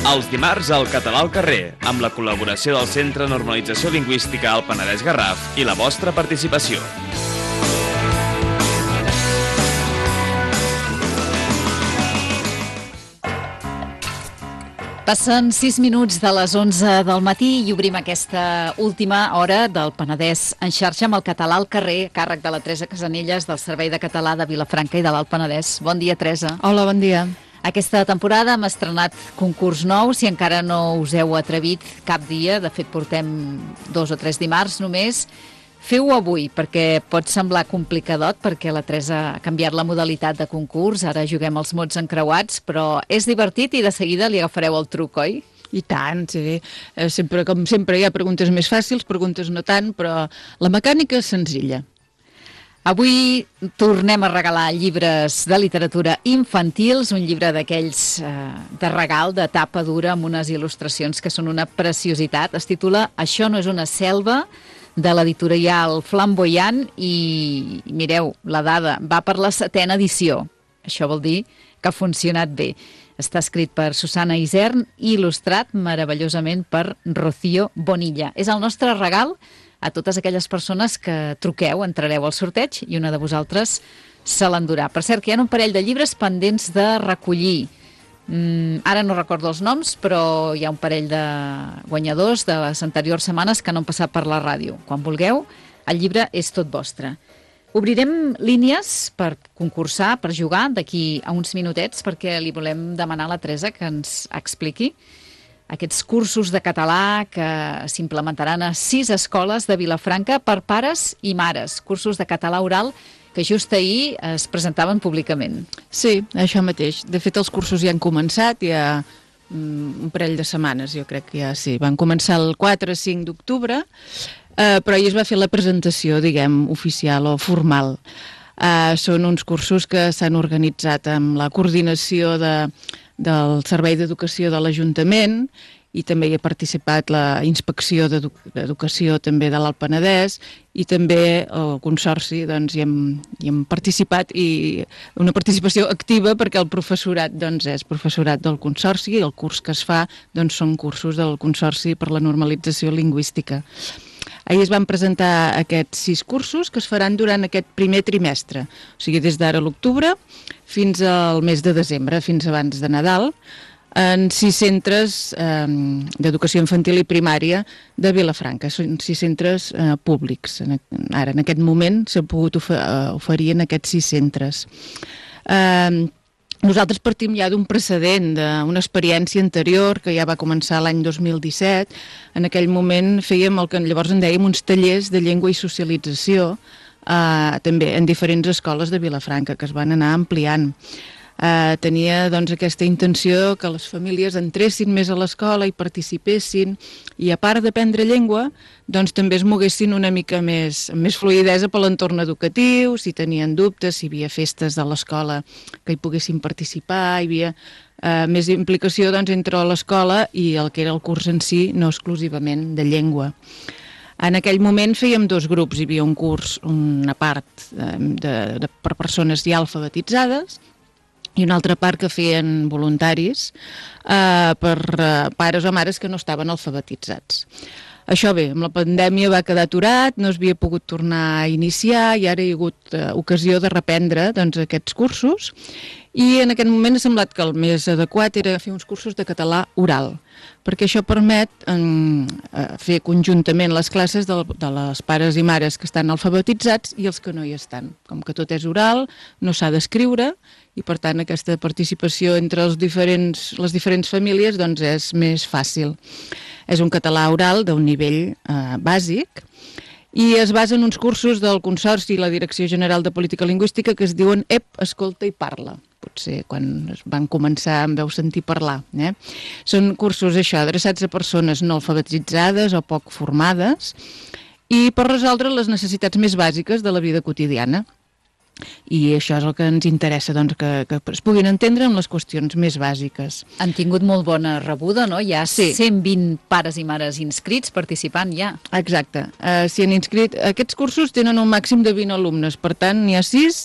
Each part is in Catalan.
Els dimarts al Català al carrer, amb la col·laboració del Centre de Normalització Lingüística al Penedès Garraf i la vostra participació. Passen 6 minuts de les 11 del matí i obrim aquesta última hora del Penedès en xarxa amb el Català al carrer, a càrrec de la Teresa Casanelles del Servei de Català de Vilafranca i de l'Alt Penedès. Bon dia, Teresa. Hola, bon dia. Aquesta temporada hem estrenat concurs nou, si encara no us heu atrevit cap dia, de fet portem 2 o 3 dimarts només. Feu-ho avui, perquè pot semblar complicadot, perquè la Teresa ha canviat la modalitat de concurs, ara juguem els mots encreuats, però és divertit i de seguida li agafareu el truc, oi? I tant, sí. Sempre, com sempre, hi ha preguntes més fàcils, preguntes no tant, però la mecànica és senzilla. Avui tornem a regalar llibres de literatura infantils, un llibre d'aquells de regal, de tapa dura, amb unes il·lustracions que són una preciositat. Es titula Això no és una selva, de l'editorial Flamboyant, i mireu, la dada va per la 7ª edició. Això vol dir que ha funcionat bé. Està escrit per Susana Isern i il·lustrat meravellosament per Rocío Bonilla. És el nostre regal a totes aquelles persones que truqueu, entrareu al sorteig i una de vosaltres se l'endurà. Per cert, que hi ha un parell de llibres pendents de recollir. Ara no recordo els noms, però hi ha un parell de guanyadors de les anteriors setmanes que no han passat per la ràdio. Quan vulgueu, el llibre és tot vostre. Obrirem línies per concursar, per jugar, d'aquí a uns minutets, perquè li volem demanar a la Teresa que ens expliqui aquests cursos de català que s'implementaran a 6 escoles de Vilafranca per pares i mares. Cursos de català oral que just ahir es presentaven públicament. Sí, això mateix. De fet, els cursos ja han començat, ja un parell de setmanes, jo crec que ja sí. Van començar el 4-5 d'octubre, però ahir es va fer la presentació, diguem, oficial o formal. Són uns cursos que s'han organitzat amb la coordinació del Servei d'Educació de l'Ajuntament, i també hi ha participat la Inspecció d'Educació també de l'Alt Penedès, i també el Consorci, doncs hi hem participat, i una participació activa perquè el professorat és professorat del Consorci, i el curs que es fa són cursos del Consorci per la Normalització Lingüística. Ahir es van presentar aquests 6 cursos que es faran durant aquest primer trimestre, o sigui, des d'ara a l'octubre fins al mes de desembre, fins abans de Nadal, en 6 centres d'educació infantil i primària de Vilafranca. Són 6 centres públics. Ara, en aquest moment, s'ha pogut oferir en aquests 6 centres. Nosaltres partim ja d'un precedent, d'una experiència anterior que ja va començar l'any 2017. En aquell moment fèiem el que llavors en dèiem uns tallers de llengua i socialització, també en diferents escoles de Vilafranca, que es van anar ampliant. Tenia aquesta intenció que les famílies entressin més a l'escola i participessin, i a part d'aprendre llengua, també es moguessin una mica més fluïdesa per l'entorn educatiu, si tenien dubtes, si hi havia festes de l'escola que hi poguessin participar, hi havia més implicació entre l'escola i el que era el curs en si, no exclusivament de llengua. En aquell moment fèiem 2 grups, hi havia un curs, una part per persones ja alfabetitzades, i una altra part que feien voluntaris per pares o mares que no estaven alfabetitzats. Això bé, amb la pandèmia va quedar aturat, no es havia pogut tornar a iniciar, i ara hi ha hagut ocasió de reprendre aquests cursos, i en aquest moment ha semblat que el més adequat era fer uns cursos de català oral, perquè això permet fer conjuntament les classes de les pares i mares que estan alfabetitzats i els que no hi estan. Com que tot és oral, no s'ha d'escriure, i per tant aquesta participació entre les diferents famílies és més fàcil. És un català oral d'un nivell bàsic, i es basa en uns cursos del Consorci i la Direcció General de Política Lingüística que es diuen EP, Escolta i Parla. Potser quan van començar em veu sentir parlar. Són cursos adreçats a persones no alfabetitzades o poc formades, i per resoldre les necessitats més bàsiques de la vida quotidiana. I això és el que ens interessa, que es puguin entendre en les qüestions més bàsiques. Han tingut molt bona rebuda, no? Hi ha 120 pares i mares inscrits participant ja. Exacte. S'hi han inscrit. Aquests cursos tenen un màxim de 20 alumnes, per tant, n'hi ha 6,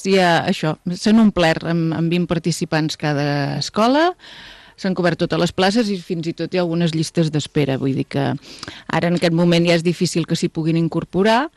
s'han omplert amb 20 participants cada escola. s'han cobert totes les places i fins i tot hi ha algunes llistes d'espera. Vull dir que ara en aquest moment ja és difícil que s'hi puguin incorporar,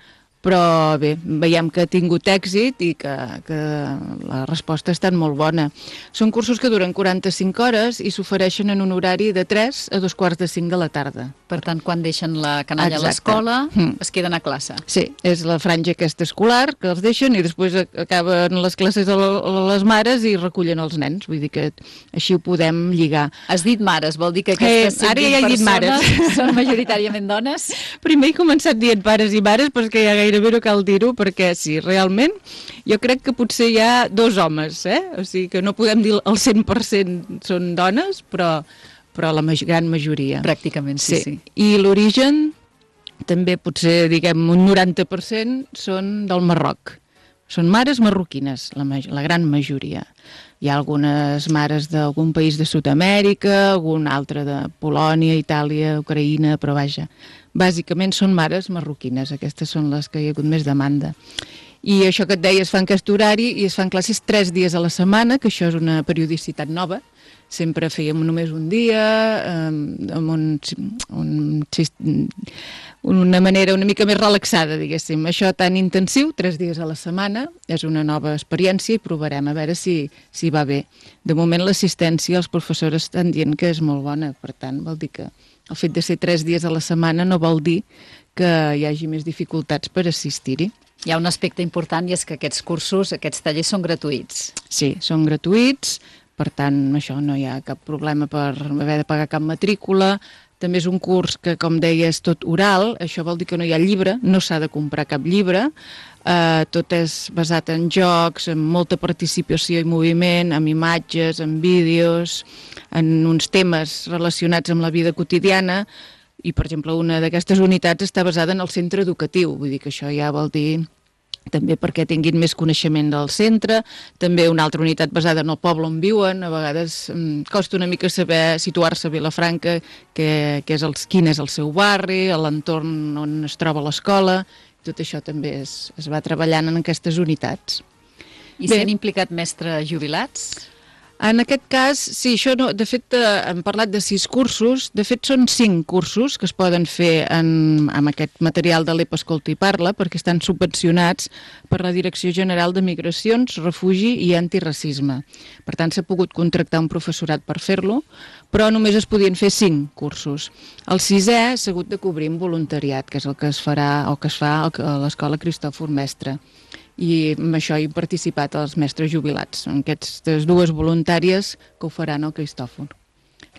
però bé, veiem que ha tingut èxit i que la resposta ha estat molt bona. Són cursos que duren 45 hores i s'ofereixen en un horari de 3 a 2:45 de la tarda. Per tant, quan deixen la canalla a Exacte. l'escola, es queden a classe. Sí, és la franja aquesta escolar que els deixen i després acaben les classes a les mares i recullen els nens. Vull dir que així ho podem lligar. Has dit mares, vol dir que aquestes Ara 120 ja he dit mares. persones són majoritàriament dones? Primer he començat dient pares i mares, però és que ja gairebé no cal dir-ho, perquè sí, realment jo crec que potser hi ha 2 homes, o sigui que no podem dir el 100% són dones, però la gran majoria. Pràcticament, sí. I l'origen també potser, diguem, un 90% són del Marroc. Són mares marroquines, la gran majoria. Hi ha algunes mares d'algun país de Sud-amèrica, algun altre de Polònia, Itàlia, Ucraïna, però vaja, bàsicament són mares marroquines, aquestes són les que hi ha hagut més demanda. I això que et deia, es fa en aquest horari i es fan classes 3 dies a la setmana, que això és una periodicitat nova. Sempre fèiem només un dia, amb una manera una mica més relaxada, diguéssim. Això tan intensiu, 3 dies a la setmana, és una nova experiència i provarem a veure si va bé. De moment l'assistència, els professors estan dient que és molt bona, per tant vol dir que el fet de ser 3 dies a la setmana no vol dir que hi hagi més dificultats per assistir-hi. Hi ha un aspecte important i és que aquests cursos, aquests tallers són gratuïts. Sí, són gratuïts, per tant, això no hi ha cap problema per haver de pagar cap matrícula. També és un curs que, com deia, és tot oral, això vol dir que no hi ha llibre, no s'ha de comprar cap llibre, tot és basat en jocs, en molta participació i moviment, amb imatges, en vídeos, en uns temes relacionats amb la vida quotidiana, i, per exemple, una d'aquestes unitats està basada en el centre educatiu, vull dir que això ja vol dir també perquè tinguin més coneixement del centre, també una altra unitat basada en el poble on viuen, a vegades costa una mica saber situar-se a Vilafranca, quin és el seu barri, l'entorn on es troba l'escola, tot això també es va treballant en aquestes unitats. I s'han implicat mestres jubilats? En aquest cas, sí, això no, de fet hem parlat de 6 cursos, de fet són 5 cursos que es poden fer amb aquest material de l'EPA Escolta i Parla, perquè estan subvencionats per la Direcció General de Migracions, Refugi i Antiracisme. Per tant, s'ha pogut contractar un professorat per fer-lo, però només es podien fer 5 cursos. El 6è s'ha hagut de cobrir amb voluntariat, que és el que es farà o que es fa a l'Escola Cristòfor Mestre. I amb això hi han participat els mestres jubilats, en aquestes 2 voluntàries que ho faran al Cristòfor.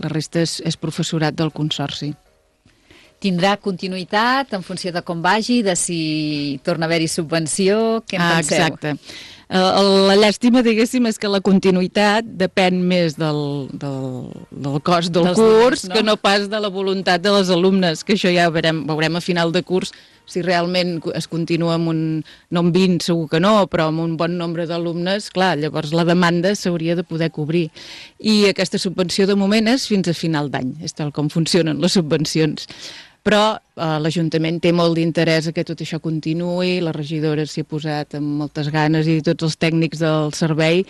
La resta és professorat del Consorci. Tindrà continuïtat en funció de com vagi, de si torna a haver-hi subvenció, què en penseu? Exacte. La llàstima, diguéssim, és que la continuïtat depèn més del cost del curs, que no pas de la voluntat de les alumnes, que això ja veurem a final de curs si realment es continua amb no amb 20 segur que no, però amb un bon nombre d'alumnes, clar, llavors la demanda s'hauria de poder cobrir. I aquesta subvenció de moment és fins a final d'any, és tal com funcionen les subvencions. Però l'Ajuntament té molt d'interès que tot això continuï, la regidora s'hi ha posat amb moltes ganes i tots els tècnics del servei,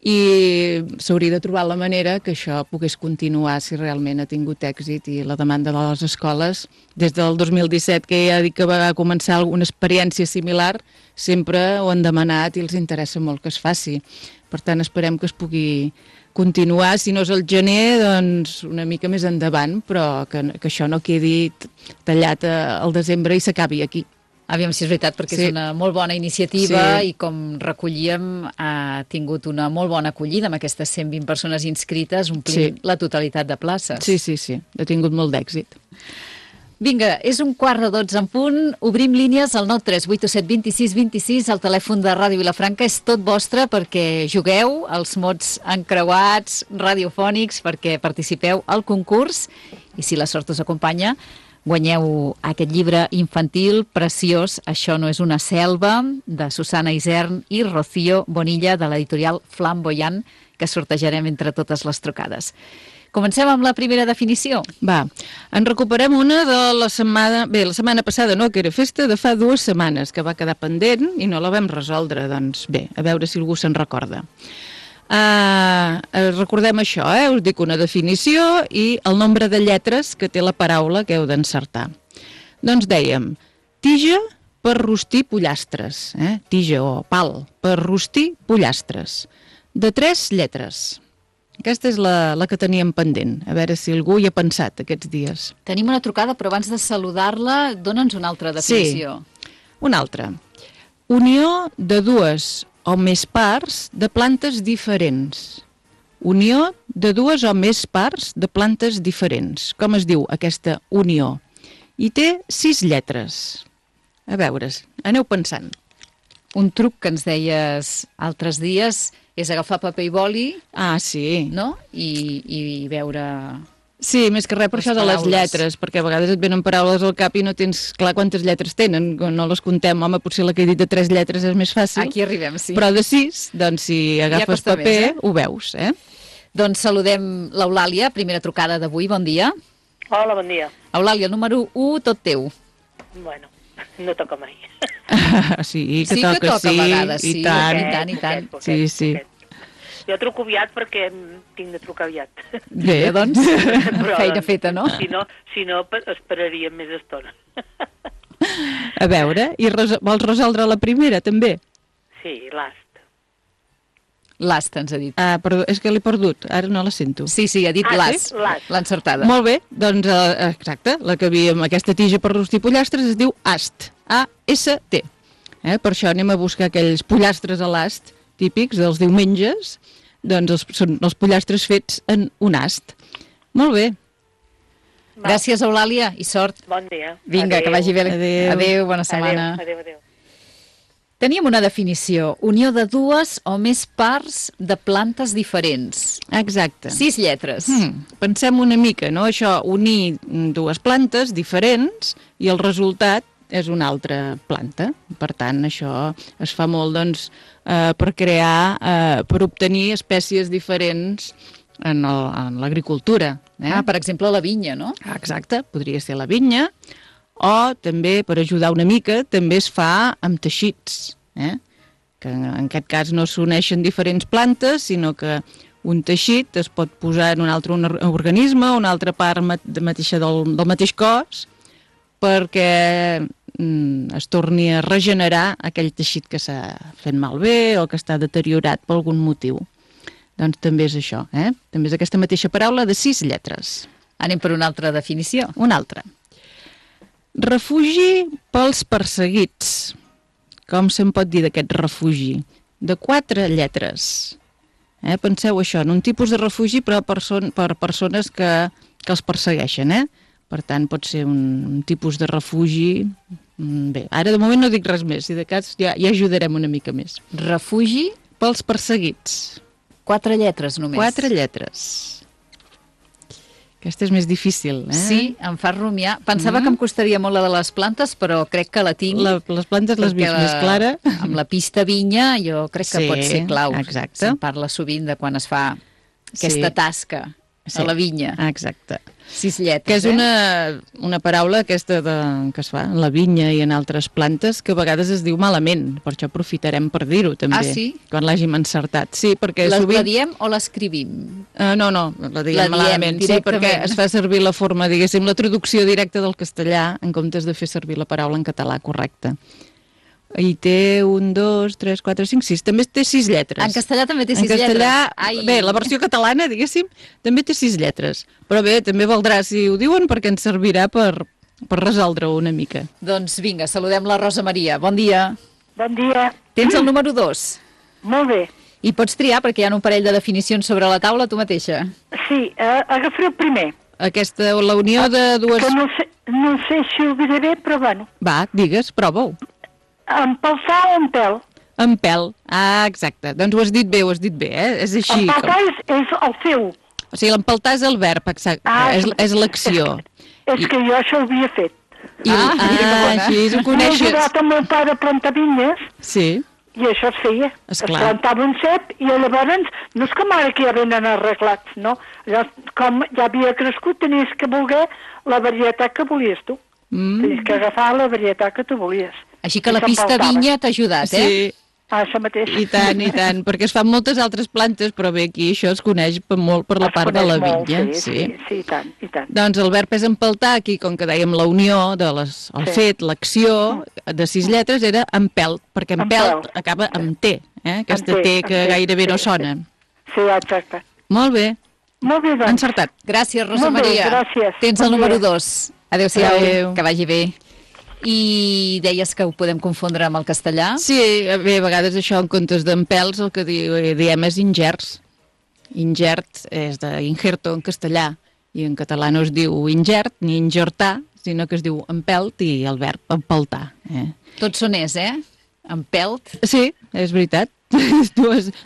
i s'hauria de trobar la manera que això pogués continuar si realment ha tingut èxit i la demanda de les escoles. Des del 2017, que ja dic que va començar alguna experiència similar, sempre ho han demanat i els interessa molt que es faci. Per tant, esperem que es pugui continuar, si no és el gener, doncs una mica més endavant, però que això no quedi tallat al desembre i s'acabi aquí. Aviam si és veritat, perquè és una molt bona iniciativa i com recollíem ha tingut una molt bona acollida amb aquestes 120 persones inscrites, omplint la totalitat de places. Sí, ha tingut molt d'èxit. Vinga, és 11:45 en punt, obrim línies al 93827 26 26, el telèfon de Ràdio Vilafranca és tot vostre perquè jugueu als mots encreuats, radiofònics, perquè participeu al concurs i si la sort us acompanya, guanyeu aquest llibre infantil preciós, Això no és una selva, de Susana Isern i Rocío Bonilla, de l'editorial Flamboyant, que sortejarem entre totes les trucades. Comencem amb la primera definició. Va, en recuperem una de la setmana... Bé, la setmana passada no, que era festa, de fa 2 setmanes, que va quedar pendent i no la vam resoldre. Doncs bé, a veure si algú se'n recorda. Recordem això, us dic una definició i el nombre de lletres que té la paraula que heu d'encertar. Doncs dèiem, tija per rostir pollastres, tija o pal, per rostir pollastres, de 3 lletres. Aquesta és la que teníem pendent, a veure si algú hi ha pensat aquests dies. Tenim una trucada, però abans de saludar-la, dóna'ns una altra definició. Sí, una altra. Unió de 2 o més parts de plantes diferents. Unió de 2 o més parts de plantes diferents. Com es diu aquesta unió? I té 6 lletres. A veure, aneu pensant. Un truc que ens deies altres dies és agafar paper i boli, sí. no? I veure... Sí, més que res per això de les lletres, perquè a vegades et venen paraules al cap i no tens clar quantes lletres tenen, no les comptem. Home, potser la que he dit de 3 lletres és més fàcil. Aquí arribem, sí. Però de 6, doncs si agafes paper, ho veus, Doncs saludem l'Eulàlia, primera trucada d'avui, bon dia. Hola, bon dia. Eulàlia, el número 1, tot teu. Bueno, no toca mai. Sí, que toca, a vegades, i tant. I tant. Sí. Jo truco aviat perquè tinc de trucar aviat. Bé, doncs, feina feta, no? Si no, esperaríem més estona. A veure, i vols resoldre la primera, també? Sí, l'ast. L'ast, ens ha dit. Perdó, és que l'he perdut, ara no la sento. Sí, ha dit l'ast, l'ha encertada. Molt bé, doncs, exacte, la que havíem, aquesta tija per rostir pollastres es diu ast, A-S-T. Per això anem a buscar aquells pollastres a l'ast típics dels diumenges, doncs són els pollastres fets en un ast. Molt bé. Gràcies, Eulàlia, i sort. Bon dia. Vinga, que vagi bé. Adéu, bona setmana. Adéu. Teníem una definició, unió de 2 o més parts de plantes diferents. Exacte. 6 lletres. Pensem una mica, no? Això, unir 2 plantes diferents i el resultat és una altra planta. Per tant, això es fa molt, doncs, per crear, per obtenir espècies diferents en l'agricultura. Per exemple, la vinya, no? Exacte, podria ser la vinya, o també, per ajudar una mica, també es fa amb teixits, que en aquest cas no s'uneixen diferents plantes, sinó que un teixit es pot posar en un altre organisme, una altra part mateixa del mateix cos, perquè es torni a regenerar aquell teixit que s'ha fet malbé o que està deteriorat per algun motiu. Doncs també és això, també és aquesta mateixa paraula de 6 lletres. Anem per una altra definició. Una altra. Refugi pels perseguits. Com se'n pot dir d'aquest refugi? De 4 lletres. Penseu això, en un tipus de refugi però per persones que els persegueixen, Per tant, pot ser un tipus de refugi... Bé, ara de moment no dic res més, si de cas ja ajudarem una mica més. Refugi pels perseguits. 4 lletres només. 4 lletres. Aquesta és més difícil, Sí, em fa rumiar. Pensava que em costaria molt la de les plantes, però crec que la tinc. Les plantes les vist més clara. Amb la pista vinya jo crec que pot ser clau. Exacte. Se'n parla sovint de quan es fa aquesta tasca a la vinya. Exacte. 6 lletres, que és una paraula aquesta que es fa en la vinya i en altres plantes que a vegades es diu malament, per això aprofitarem per dir-ho també, quan l'hàgim encertat. Sí, perquè la diem o l'escrivim? No, la diem malament, sí, perquè es fa servir la forma, diguéssim, la traducció directa del castellà en comptes de fer servir la paraula en català correcta. I té 1, 2, 3, 4, 5, 6. També té 6 lletres. En castellà també té 6 lletres. En castellà, bé, la versió catalana, diguéssim, també té 6 lletres. Però bé, també valdrà si ho diuen perquè ens servirà per resoldre-ho una mica. Doncs vinga, saludem la Rosa Maria. Bon dia. Bon dia. Tens el número 2. Molt bé. I pots triar perquè hi ha un parell de definicions sobre la taula tu mateixa. Sí, agafaré el primer. Aquesta, la unió de dues... Que no sé si ho diré bé, però bueno. Va, digues, prova-ho. Empaltar o en pèl? En pèl, exacte. Doncs ho has dit bé, És així. Empaltar és el feu. O sigui, l'empaltar és el verb, exacte. És l'acció. És que jo això ho havia fet. Així ho coneixes. He ajudat amb el pare a plantar vinyes. Sí. I això es feia. Es plantava un cep i llavors, no és com ara que ja venen arreglats, no? Llavors, com ja havia crescut, tenies que voler la varietat que volies tu. Tenies que agafar la varietat que tu volies. Així que la pista vinya t'ha ajudat, Sí, Això mateix. I tant, perquè es fan moltes altres plantes, però bé, aquí això es coneix molt per la part de la vinya. Sí, i tant. Doncs el verb és empeltar, aquí, com que dèiem la unió, el fet, l'acció, de 6 lletres, era empelt, perquè empelt acaba amb T, aquesta T que gairebé no sona. Sí, exacte. Molt bé. Molt bé, doncs. Encertat. Gràcies, Rosa Maria. Gràcies. Tens el número 2. Adéu-siau, que vagi bé. I deies que ho podem confondre amb el castellà? Sí, bé, a vegades això en comptes d'empels el que diem és ingerts. Ingert és d'ingerto en castellà, i en català no es diu ingert ni ingertar, sinó que es diu empelt i el verb empeltar. Tots són empelt. Sí, és veritat.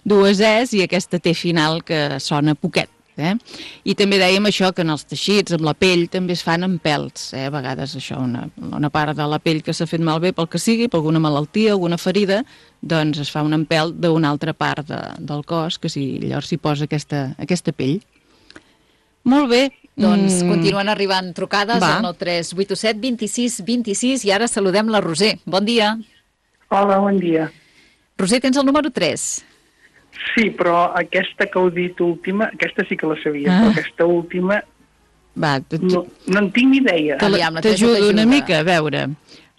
dues es i aquesta T final que sona poquet. I també dèiem això, que en els teixits, amb la pell, també es fan empelts. A vegades això, una part de la pell que s'ha fet malbé pel que sigui, per alguna malaltia, alguna ferida, doncs es fa un empelt d'una altra part del cos, que llavors s'hi posa aquesta pell. Molt bé. Doncs continuen arribant trucades al 9387 26 26 i ara saludem la Roser. Bon dia. Hola, bon dia. Roser, tens el número 3. Sí, però aquesta que heu dit última, aquesta sí que la sabia, però aquesta última no en tinc ni idea. T'ajudo una mica, a veure.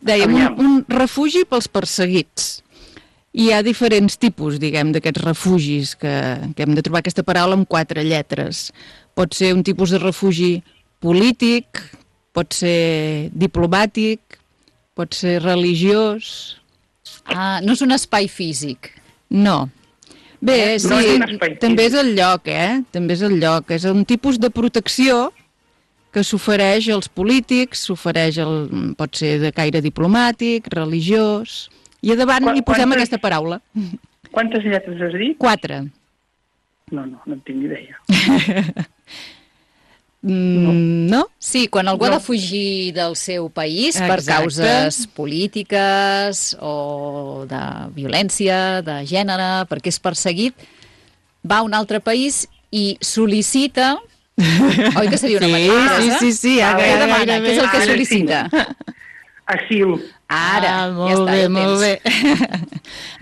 Dèiem, un refugi pels perseguits. Hi ha diferents tipus, diguem, d'aquests refugis que hem de trobar aquesta paraula amb 4 lletres. Pot ser un tipus de refugi polític, pot ser diplomàtic, pot ser religiós. No és un espai físic. No. Bé, sí, també és el lloc, També és el lloc. És un tipus de protecció que s'ofereix als polítics, pot ser de caire diplomàtic, religiós, i a davant hi posem aquesta paraula. Quantes lletres has dit? 4. No en tinc ni idea. No? Sí, quan algú ha de fugir del seu país per causes polítiques o de violència, de gènere, perquè és perseguit, va a un altre país i sol·licita... Oi que seria una manera? Sí. Què demana? Què és el que sol·licita? Asil. Ara, molt bé.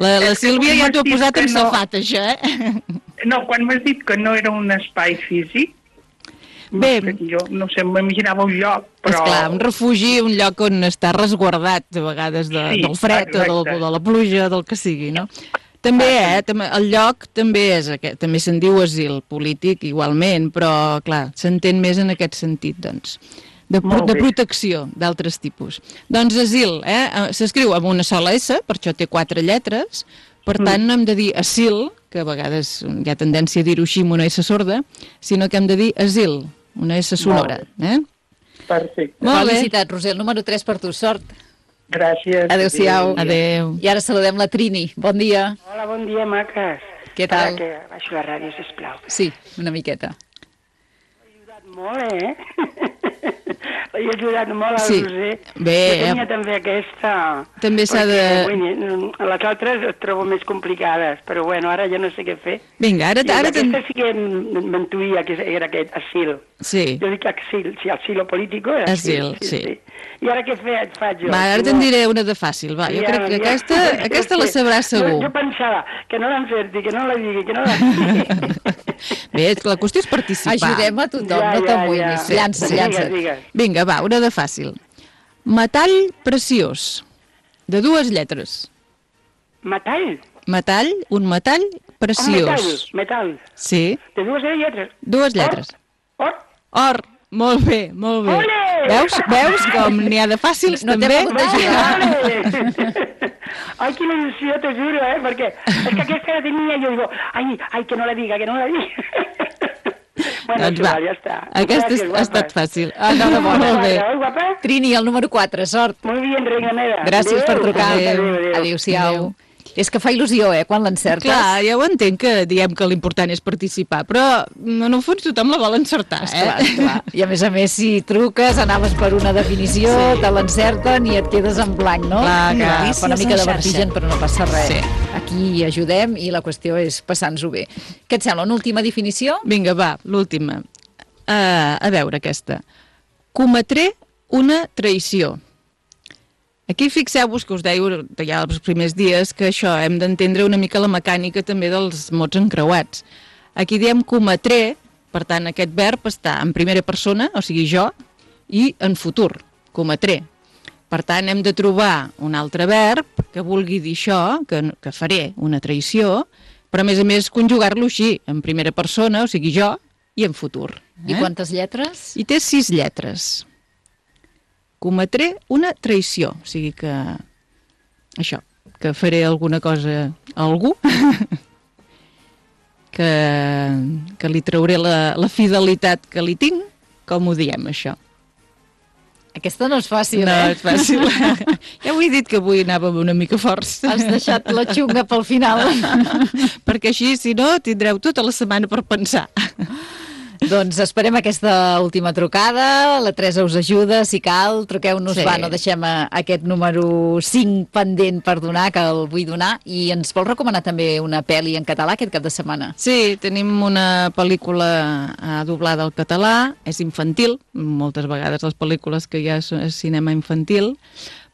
La Sílvia ja t'ho ha posat en safat, això, No, quan m'has dit que no era un espai físic, bé, jo no sé, m'imaginava un lloc, però... Esclar, un refugi, un lloc on està resguardat, a vegades del fred o de la pluja, del que sigui, no? També, el lloc també se'n diu asil polític, igualment, però, clar, s'entén més en aquest sentit, doncs, de protecció d'altres tipus. Doncs asil, s'escriu amb una sola S, per això té 4 lletres, per tant no hem de dir asil, que a vegades hi ha tendència a dir-ho així amb una S sorda, sinó que hem de dir asil, una S sonora. Perfecte. Felicitat, Roser, el número 3 per tu, sort. Gràcies. Adéu-siau. Adéu. I ara saludem la Trini. Bon dia. Hola, bon dia, maques. Què tal? Que baixo la ràdio, sisplau. Sí, una miqueta. L'he ajudat molt, L'he ajudat molt a Roser. Bé, jo tenia també aquesta... També s'ha de... Les altres les trobo més complicades, però bueno, ara ja no sé què fer. Vinga, ara... Aquesta sí que m'intuïa que era aquest asil. Sí. Jo dic asil, si asilo político era asil. Sí. I ara què faig jo? Va, ara te'n diré una de fàcil, va. Jo crec que aquesta la sabràs segur. Jo pensava que no l'encerti, que no la digui, que no la digui. Bé, la qüestió és participar. Ajudem a tothom, no t'amoïnis. Llança't. Vinga, va, una de fàcil. Metall preciós, de 2 lletres. Metall? Metall, un metall preciós. Metall. Sí. De 2 lletres? 2 lletres. Or. Molt bé, molt bé. Olé! Veus com n'hi ha de fàcils, no també? No t'he pogut ajudar. Ai, quina il·lusió, t'ho juro, perquè és que aquesta la tenia, jo digo, ai, que no la diga, que no la diga. Bueno, doncs va, ja està. Aquesta ha estat fàcil. Molt bé. Guapa? Trini, el número 4, sort. Molt bé, reina meva. Gràcies per trucar. Adéu-siau. És que fa il·lusió, quan l'encertes. Clar, ja ho entenc que diem que l'important és participar, però en el fons tothom la vol encertar, Esclar. I a més, si truques, anaves per una definició, te l'encerten i et quedes en blanc, no? Clar, fa una mica de vertigen, però no passa res. Sí. Aquí ajudem i la qüestió és passar-nos-ho bé. Què et sembla, una última definició? Vinga, va, l'última. A veure aquesta. Cometré una traïció. Aquí fixeu-vos que us deia ja els primers dies que això, hem d'entendre una mica la mecànica també dels mots encreuats. Aquí diem cometré, per tant aquest verb està en primera persona, o sigui jo, i en futur, cometré. Per tant hem de trobar un altre verb que vulgui dir això, que faré una traïció, però a més conjugar-lo així, en primera persona, o sigui jo, i en futur. I quantes lletres? I té 6 lletres. Cometré una traïció, o sigui que això, que faré alguna cosa a algú, que li trauré la fidelitat que li tinc, com ho diem, això. Aquesta no és fàcil, No és fàcil. Ja ho he dit que avui anàvem una mica forts. Has deixat la xunga pel final. Perquè així, si no, tindreu tota la setmana per pensar. Doncs esperem aquesta última trucada, la Teresa us ajuda, si cal, truqueu-nos, Sí. no deixem aquest número 5 pendent per donar, que el vull donar, i ens vol recomanar també una pel·li en català aquest cap de setmana. Sí, tenim una pel·lícula doblada al català, és infantil, moltes vegades les pel·lícules que hi ha és cinema infantil,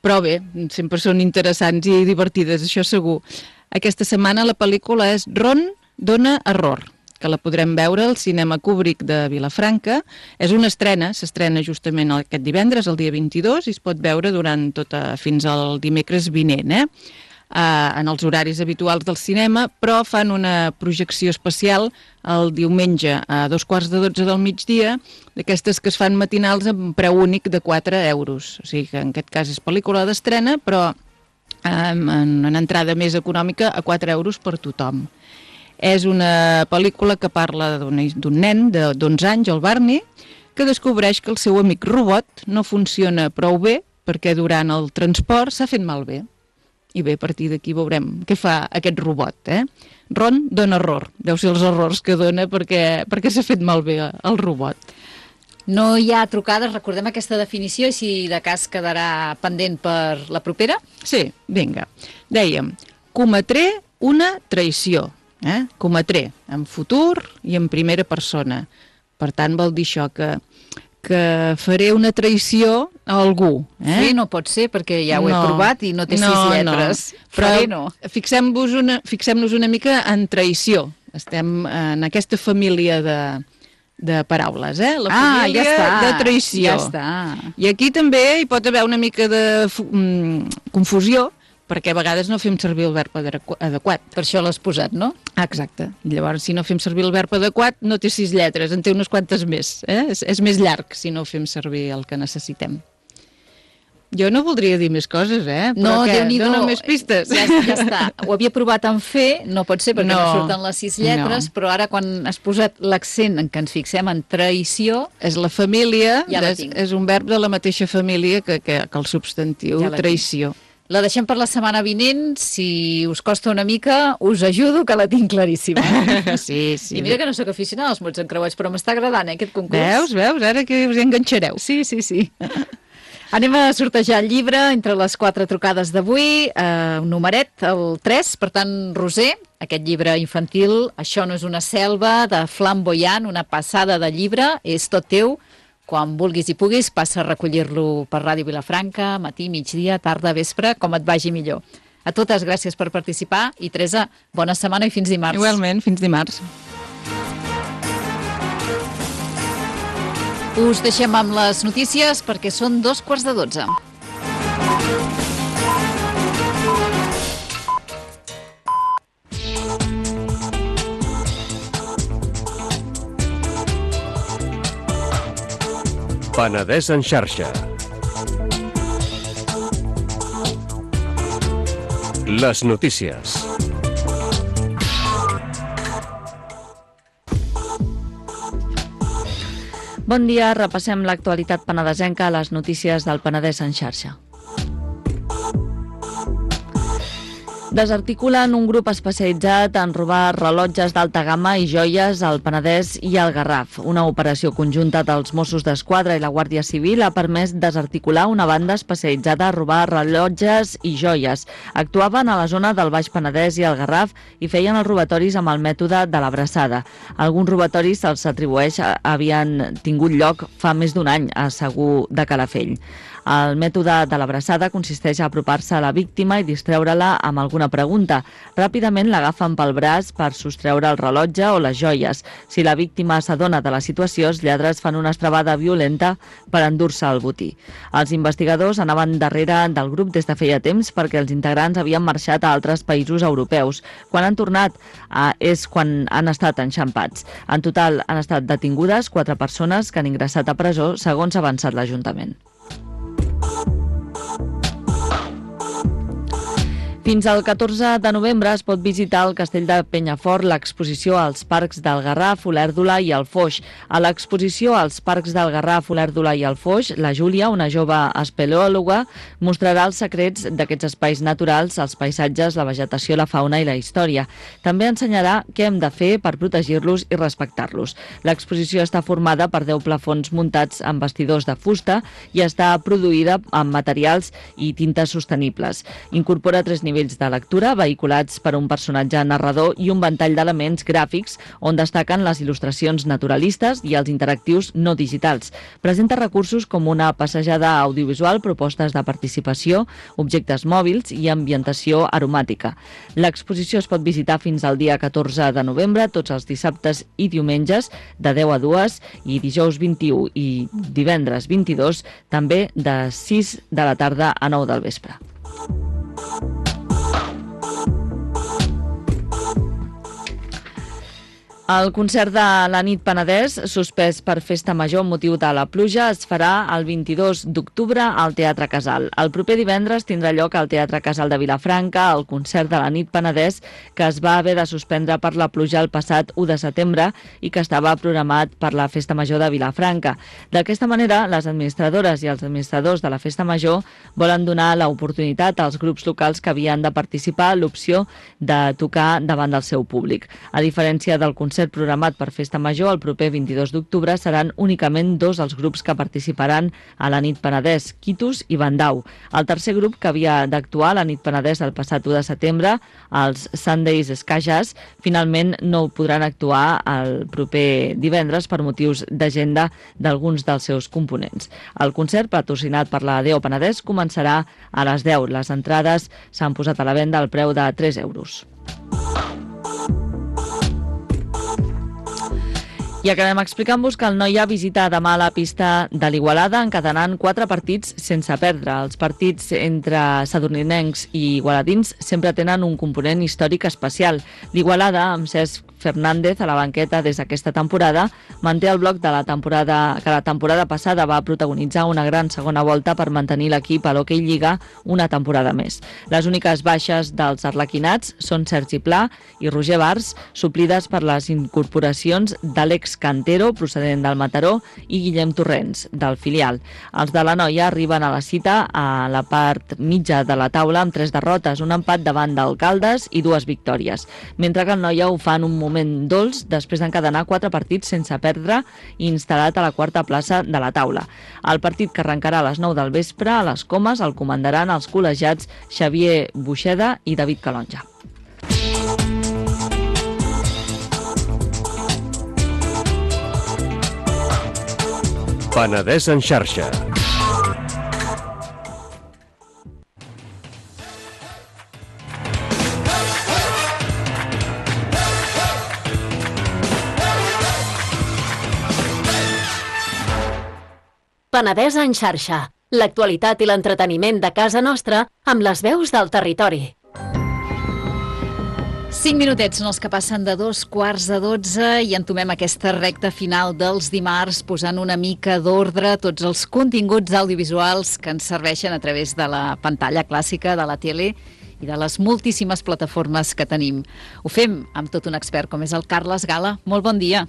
però bé, sempre són interessants i divertides, això segur. Aquesta setmana la pel·lícula és Ron dona error, que la podrem veure al Cinema Kubrick de Vilafranca. És una estrena, s'estrena justament aquest divendres, el dia 22, i es pot veure fins al dimecres vinent, en els horaris habituals del cinema, però fan una projecció especial el diumenge a 2:15 del migdia, d'aquestes que es fan matinals amb preu únic de 4 euros. O sigui que en aquest cas és pel·lícula d'estrena, però en una entrada més econòmica a 4 euros per tothom. És una pel·lícula que parla d'un nen d'11 anys, el Barney, que descobreix que el seu amic robot no funciona prou bé perquè durant el transport s'ha fet malbé. I bé, a partir d'aquí veurem què fa aquest robot. Ron dona error. Deu ser els errors que dona perquè s'ha fet malbé el robot. No hi ha trucades, recordem aquesta definició, i si de cas quedarà pendent per la propera? Sí, vinga. Dèiem, cometré una traïció. Cometré en futur i en primera persona. Per tant, vol dir això, que faré una traïció a algú. Sí, no pot ser, perquè ja ho he provat i no té 6 lletres. Però fixem-nos una mica en traïció. Estem en aquesta família de paraules, la família de traïció. Ja està. I aquí també hi pot haver una mica de confusió, perquè a vegades no fem servir el verb adequat. Per això l'has posat, no? Exacte. Llavors, si no fem servir el verb adequat, no té 6 lletres, en té unes quantes més. És més llarg si no fem servir el que necessitem. Jo no voldria dir més coses, però no, dona més pistes. Ja està. Ho havia provat en fer, no pot ser perquè no surten les 6 lletres, però ara quan has posat l'accent en què ens fixem en traïció... És la família, és un verb de la mateixa família que el substantiu traïció. La deixem per la setmana vinent. Si us costa una mica, us ajudo, que la tinc claríssima. Sí. I mira que no sóc aficionada als mots encreuats, però m'està agradant, aquest concurs. Veus? Ara que us enganxareu. Sí. Anem a sortejar el llibre entre les 4 trucades d'avui. Un numeret, el 3. Per tant, Roser, aquest llibre infantil, Això no és una selva, de Flamboyant, una passada de llibre, és tot teu. Quan vulguis i puguis, passa a recollir-lo per Ràdio Vilafranca, matí, migdia, tarda, vespre, com et vagi millor. A totes, gràcies per participar i, Teresa, bona setmana i fins dimarts. Igualment, fins dimarts. Us deixem amb les notícies perquè són 11:45. Penedès en xarxa. Les notícies. Bon dia, repassem l'actualitat penedesenca a les notícies del Penedès en xarxa. Desarticulen un grup especialitzat en robar rellotges d'alta gamma i joies al Penedès i al Garraf. Una operació conjunta dels Mossos d'Esquadra i la Guàrdia Civil ha permès desarticular una banda especialitzada a robar rellotges i joies. Actuaven a la zona del Baix Penedès i el Garraf i feien els robatoris amb el mètode de l'abraçada. Alguns robatoris se'ls atribueix havien tingut lloc fa més d'un any a Segur de Calafell. El mètode de l'abraçada consisteix a apropar-se a la víctima i distreure-la amb alguna pregunta. Ràpidament l'agafen pel braç per sostreure el rellotge o les joies. Si la víctima s'adona de la situació, els lladres fan una estrebada violenta per endur-se el botí. Els investigadors anaven darrere del grup des de feia temps perquè els integrants havien marxat a altres països europeus. Quan han tornat és quan han estat enxampats. En total han estat detingudes 4 persones que han ingressat a presó, segons ha avançat l'Ajuntament. Fins al 14 de novembre es pot visitar al Castell de Penyafort l'exposició als parcs del Garraf, Olèrdola i el Foix. A l'exposició als parcs del Garraf, Olèrdola i el Foix, la Júlia, una jove espeleòloga, mostrarà els secrets d'aquests espais naturals, els paisatges, la vegetació, la fauna i la història. També ensenyarà què hem de fer per protegir-los i respectar-los. L'exposició està formada per 10 plafons muntats amb bastidors de fusta i està produïda amb materials i tintes sostenibles. Incorpora 3 nivells de lectura, vehiculats per un personatge narrador i un ventall d'elements gràfics on destaquen les il·lustracions naturalistes i els interactius no digitals. Presenta recursos com una passejada audiovisual, propostes de participació, objectes mòbils i ambientació aromàtica. L'exposició es pot visitar fins al dia 14 de novembre, tots els dissabtes i diumenges, de 10 a 2 i dijous 21 i divendres 22, també de 6 de la tarda a 9 del vespre. El concert de la nit Penedès, suspès per festa major amb motiu de la pluja, es farà el 22 d'octubre al Teatre Casal. El proper divendres tindrà lloc al Teatre Casal de Vilafranca el concert de la nit Penedès, que es va haver de suspendre per la pluja el passat 1 de setembre i que estava programat per la festa major de Vilafranca. D'aquesta manera, les administradores i els administradors de la festa major volen donar l'oportunitat als grups locals que havien de participar a l'opció de tocar davant del seu públic. A diferència del concert programat per Festa Major, el proper 22 d'octubre seran únicament 2 els grups que participaran a la nit Penedès, Quitus i Bandau. El tercer grup que havia d'actuar a la nit Penedès el passat 1 de setembre, els Sundays Ska Jazz, finalment no podran actuar el proper divendres per motius d'agenda d'alguns dels seus components. El concert, patrocinat per la DO Penedès, començarà a les 10. Les entrades s'han posat a la venda al preu de 3 euros. I acabem explicant-vos que el Noia visita demà la pista de l'Igualada, encadenant 4 partits sense perdre. Els partits entre sadurninencs i igualadins sempre tenen un component històric especial. L'Igualada, amb Cesc Fernández a la banqueta des d'aquesta temporada, manté el bloc de la temporada que la temporada passada va protagonitzar una gran segona volta per mantenir l'equip a l'Hockey Lliga una temporada més. Les úniques baixes dels arlequinats són Sergi Pla i Roger Bars, suplides per les incorporacions d'Àlex Cantero, procedent del Mataró, i Guillem Torrents, del filial. Els de la Noia arriben a la cita a la part mitja de la taula amb 3 derrotes, un empat davant del Caldes i 2 victòries, mentre que el Noia ho fa en un moment dolç després d'encadenar 4 partits sense perdre i instal·lat a la 4a plaça de la taula. El partit, que arrencarà a les 9 del vespre a les Comes, el comandaran els col·legiats Xavier Buixeda i David Calonja. Penedès en xarxa. Penedès en xarxa. L'actualitat i l'entreteniment de casa nostra amb les veus del territori. 5 minutets són els que passen de 2:15 i entomem aquesta recta final dels dimarts posant una mica d'ordre a tots els continguts audiovisuals que ens serveixen a través de la pantalla clàssica de la tele i de les moltíssimes plataformes que tenim. Ho fem amb tot un expert com és el Carles Gala. Molt bon dia.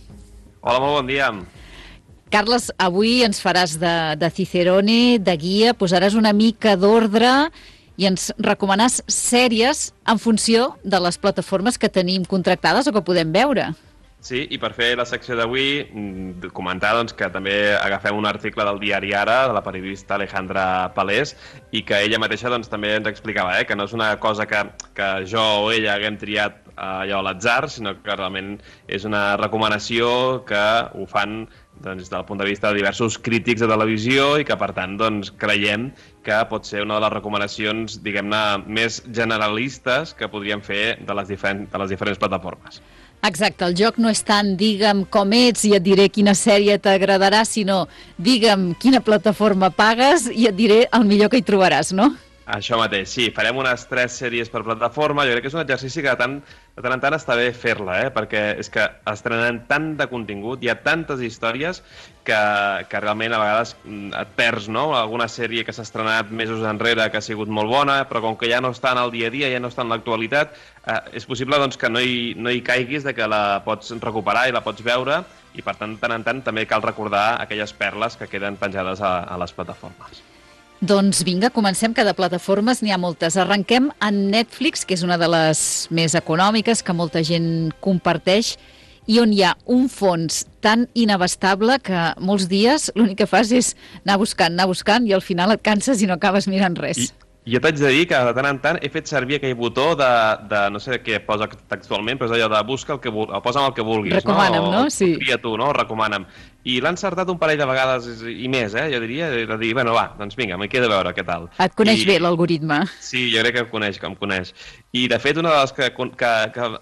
Hola, molt bon dia. Carles, avui ens faràs de Cicerone, de guia, posaràs una mica d'ordre i ens recomanàs sèries en funció de les plataformes que tenim contractades o que podem veure. Sí, i per fer la secció d'avui, comentar doncs, que també agafem un article del diari Ara, de la periodista Alejandra Palés, i que ella mateixa doncs, també ens explicava que no és una cosa que jo o ella haguem triat allò a l'atzar, sinó que realment és una recomanació que ho fan des del punt de vista de diversos crítics de televisió i que, per tant, doncs, creiem que pot ser una de les recomanacions, diguem-ne, més generalistes que podríem fer de les diferents plataformes. Exacte, el joc no és tant digue'm com ets i et diré quina sèrie t'agradarà, sinó digue'm quina plataforma pagues i et diré el millor que hi trobaràs, no? Això mateix, sí. Farem unes 3 sèries per plataforma. Jo crec que és un exercici que de tant en tant està bé fer-la, perquè és que estrenen tant de contingut, hi ha tantes històries que realment a vegades et perds, no? Alguna sèrie que s'ha estrenat mesos enrere que ha sigut molt bona, però com que ja no està en el dia a dia, ja no està en l'actualitat, és possible doncs, que no hi caiguis, de que la pots recuperar i la pots veure, i per tant en tant també cal recordar aquelles perles que queden penjades a les plataformes. Doncs vinga, comencem, que de plataformes n'hi ha moltes. Arrenquem en Netflix, que és una de les més econòmiques, que molta gent comparteix, i on hi ha un fons tan inabastable que molts dies l'únic que fas és anar buscant, i al final et canses i no acabes mirant res. Jo t'haig de dir que de tant en tant he fet servir aquell botó de no sé què posa textualment, però és allò de busca posa'm el que vulguis. Recomana'm, no? Sí. Tria tu, no? Recomana'm. I l'ha encertat un parell de vegades i més, jo diria, de dir, bueno, va, doncs vinga, m'hi queda veure què tal. Et coneix bé l'algoritme. Sí, jo crec que em coneix. I, de fet, una de les que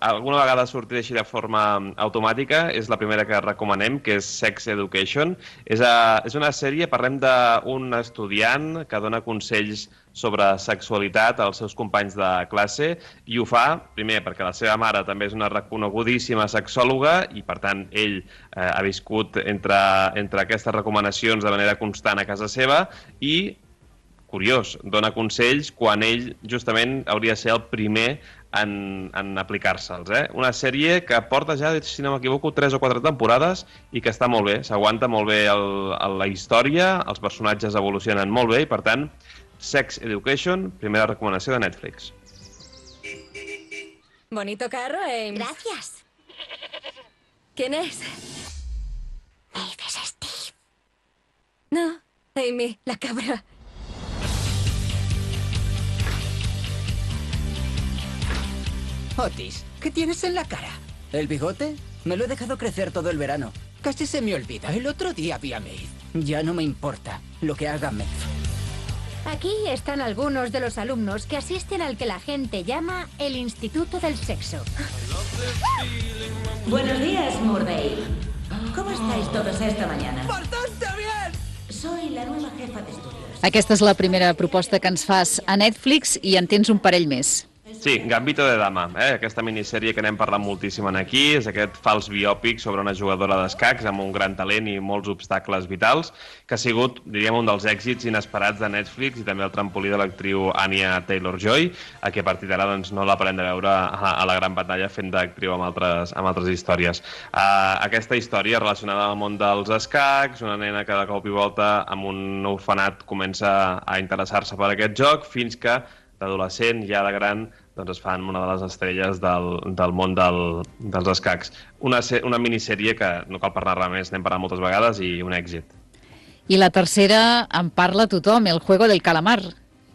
alguna vegada sortirà així de forma automàtica és la primera que recomanem, que és Sex Education. És una sèrie, parlem d'un estudiant que dona consells sobre sexualitat als seus companys de classe, i ho fa, primer, perquè la seva mare també és una reconegudíssima sexòloga i, per tant, ell ha viscut entre aquestes recomanacions de manera constant a casa seva i, curiós, dona consells quan ell justament hauria de ser el primer en aplicar-se'ls. Una sèrie que porta ja, si no m'equivoco, 3 o 4 temporades i que està molt bé, s'aguanta molt bé la història, els personatges evolucionen molt bé i, per tant, Sex Education, primera recomanació de Netflix. Bonito carro, Ames. Gracias. ¿Quién es? Abe es Steve. No, Amy, la cabra. Otis, ¿qué tienes en la cara? ¿El bigote? Me lo he dejado crecer todo el verano. Casi se me olvida. El otro día vi a Maeve. Ya no me importa lo que haga Maeve. Aquí están algunos de los alumnos que asisten al que la gente llama el Instituto del Sexo. Buenos días, Murday. ¿Cómo estáis todos esta mañana? ¡Bastante bien! Soy la nueva jefa de estudios. Aquesta és la primera proposta que ens fas a Netflix i en tens un parell més. Sí, Gambito de Dama, aquesta minissèrie que n'hem parlat moltíssim aquí, és aquest fals biòpic sobre una jugadora d'escacs amb un gran talent i molts obstacles vitals, que ha sigut, diríem, un dels èxits inesperats de Netflix i també el trampolí de l'actriu Anya Taylor-Joy, a qui a partir d'ara doncs, no la parem de veure a la gran pantalla fent d'actriu amb altres històries. Aquesta història relacionada amb el món dels escacs, una nena que de cop i volta amb un orfenat comença a interessar-se per aquest joc, fins que d'adolescent, ja de gran, doncs es fan una de les estrelles del món dels escacs. Una minissèrie que no cal parlar res més, n'hem parlat moltes vegades i un èxit. I la tercera en parla tothom, El Juego del Calamar.